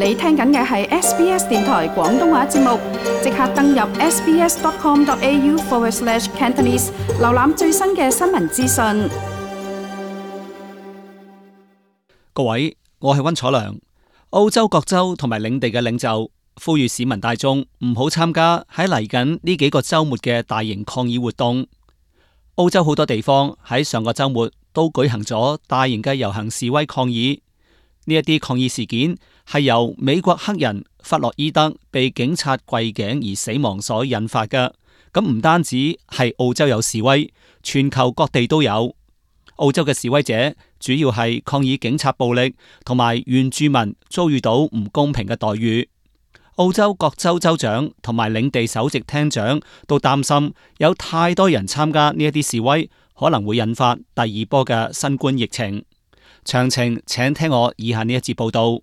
你聽緊嘅係 SBS 電台廣東話節目，即刻登入 sbs.com.au/Cantonese 瀏覽最新嘅新聞資訊。各位，我係溫楚良。澳洲各州同埋領地嘅領袖呼籲市民大眾唔好參加喺嚟緊呢幾個週末嘅大型抗議活動。澳洲好多地方喺上個週末都舉行咗大型嘅遊行示威抗議。呢一啲抗議事件係由美國黑人弗洛伊德被警察跪頸而死亡所引發嘅。咁唔單止係澳洲有示威，全球各地都有。澳洲嘅示威者主要係抗議警察暴力同埋原住民遭遇到唔公平嘅待遇。澳洲各州州長同埋領地首席廳長都擔心有太多人參加呢一啲示威，可能會引發第二波嘅新冠疫情。詳情請聽我以下呢一節報道。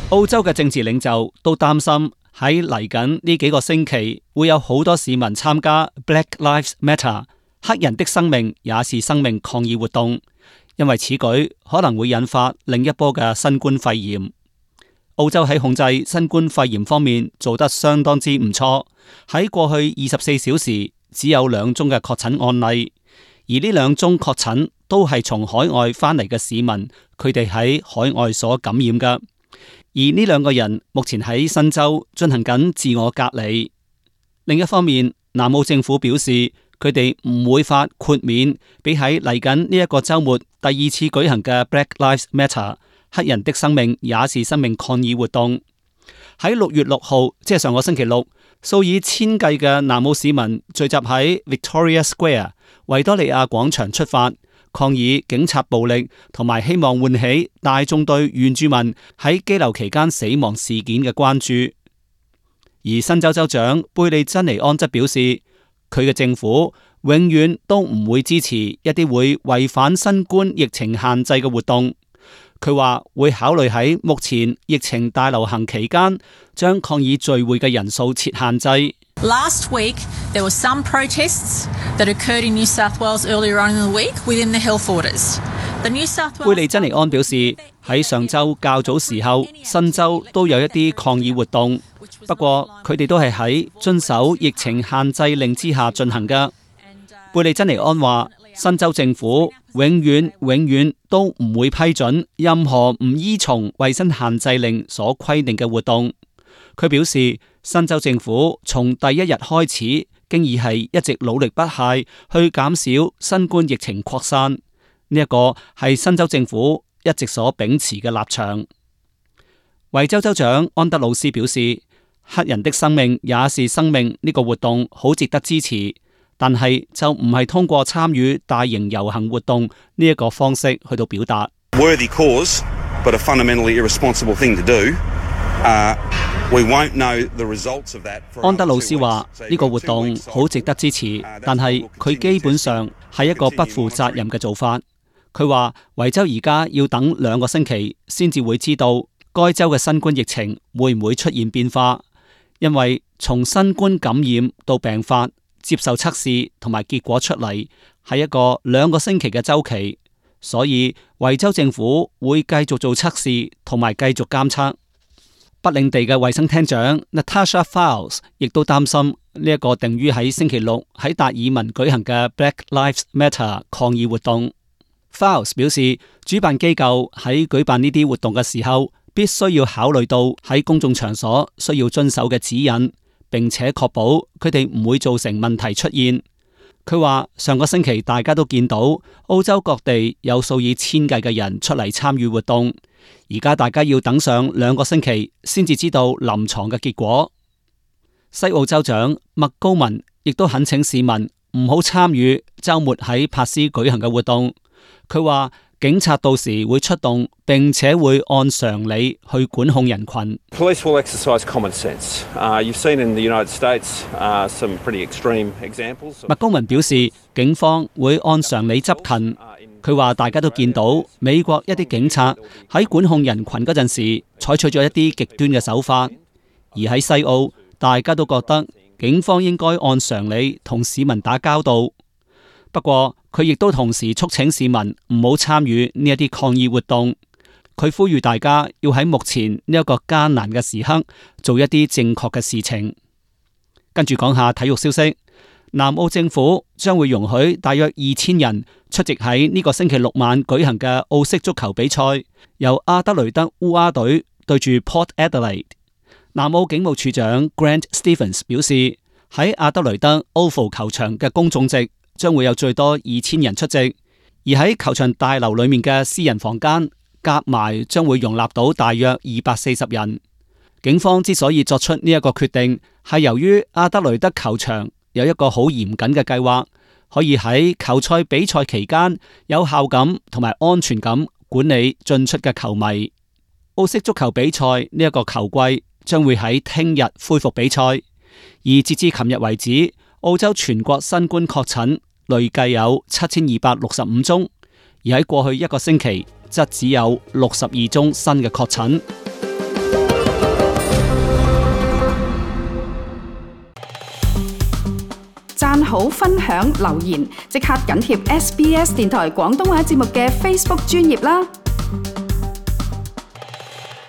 澳洲嘅政治領袖都擔心喺嚟緊呢幾個星期會有好多市民參加 Black Lives Matter 黑人的生命也是生命抗議活動，因為此舉可能會引發另一波嘅新冠肺炎。澳洲喺控制新冠肺炎方面做得相當之唔錯，喺過去24小時只有2宗嘅確診案例，而呢2宗確診都係從海外返嚟嘅市民，佢哋喺海外所感染嘅。而呢2個人目前喺新州進行緊自我隔離。另一方面，南澳政府表示佢哋唔會發豁免俾喺嚟緊呢一個週末第2次舉行嘅 Black Lives Matter 黑人的生命也是生命抗議活動。喺6月6號，即係上個星期六，數以千計嘅南澳市民聚集喺 Victoria Square 維多利亞廣場出發，抗議警察暴力，同埋希望喚起大眾對原住民喺羈留期間死亡事件嘅關注。而新州州長貝利珍尼安則表示，佢嘅政府永遠都唔會支持一啲會違反新冠疫情限制嘅活動。佢話會考慮喺目前疫情大流行期間，將抗議聚會嘅人數設限制。Last week, there were some protests that occurred in New South Wales earlier on in the week within the health orders. 貝利珍尼安表示，喺上週較早時候，新州都有一啲抗議活動，不過佢哋都係喺遵守疫情限制令之下進行嘅。貝利珍尼安話，新州政府永遠都唔會批准任何唔依從衛生限制令所規定嘅活動。佢表示，新州政府從第一日開始，經已係一直努力不懈去減少新冠疫情擴散。呢一個係新州政府一直所秉持嘅立場。維州州長安德魯斯表示，黑人的生命也是生命呢個活動好值得支持。但係就唔係通過參與大型遊行活動呢一個方式去到表達。Worthy cause, but a fundamentally irresponsible thing to do. We won't know the results of that. 安德魯斯話呢個活動好值得支持，但係佢基本上係一個不負責任嘅做法。佢話維州而家要等2個星期先至會知道該州嘅新冠疫情會唔會出現變化，因為從新冠感染到病發，接受測試同埋結果出嚟係一個2個星期嘅週期，所以維州政府會繼續做測試同埋繼續監測。北領地嘅衛生廳長 Natasha Fowles 亦都擔心呢一個定於喺星期六喺達爾文舉行嘅 Black Lives Matter 抗議活動。Fowles 表示，主辦機構喺舉辦呢啲活動嘅時候，必須要考慮到喺公眾場所需要遵守嘅指引，並且確保佢哋唔會造成問題出現。佢話上個星期大家都見到澳洲各地有數以千計嘅人出嚟參與活動，而家大家要等上2個星期先至知道臨床嘅結果。西澳州長麥高文亦都懇請市民唔好參與週末喺珀斯舉行嘅活動。佢話警察到時會出動，並且會按常理去管控人群。Police will exercise common sense. You've seen in the United States some pretty extreme examples. 麥高文表示，警方會按常理執勤。佢話大家都見到美國一啲警察喺管控人群嗰陣時，採取咗一啲極端嘅手法，而喺西澳，大家都覺得警方應該按常理同市民打交道。不過佢亦都同時促請市民唔好參與呢一啲抗議活動。佢呼籲大家要喺目前呢一個艱難嘅時刻做一啲正確嘅事情。跟住講下體育消息，南澳政府將會容許大約2000人出席喺呢個星期六晚舉行嘅澳式足球比賽，由阿德雷德烏鴉隊對住 Port Adelaide。南澳警務處長 Grant Stevens 表示，喺阿德雷德 Oval 球場嘅公眾席將會有最多2000人出席，而喺球場大樓裏面嘅私人房間夾埋將會容納到大約240人。警方之所以作出呢一個決定，係由於阿德雷德球場有一個好嚴謹嘅計劃，可以喺球賽比賽期間有效咁同埋安全咁管理進出嘅球迷。澳式足球比賽呢一個球季將會喺聽日恢復比賽，而截至琴日為止，澳洲全國新冠確診累計有7265宗，而喺過去一個星期則只有62宗新嘅確診。讚好、分享、留言，即刻緊貼SBS 電台廣東話節目嘅 Facebook 專頁啦！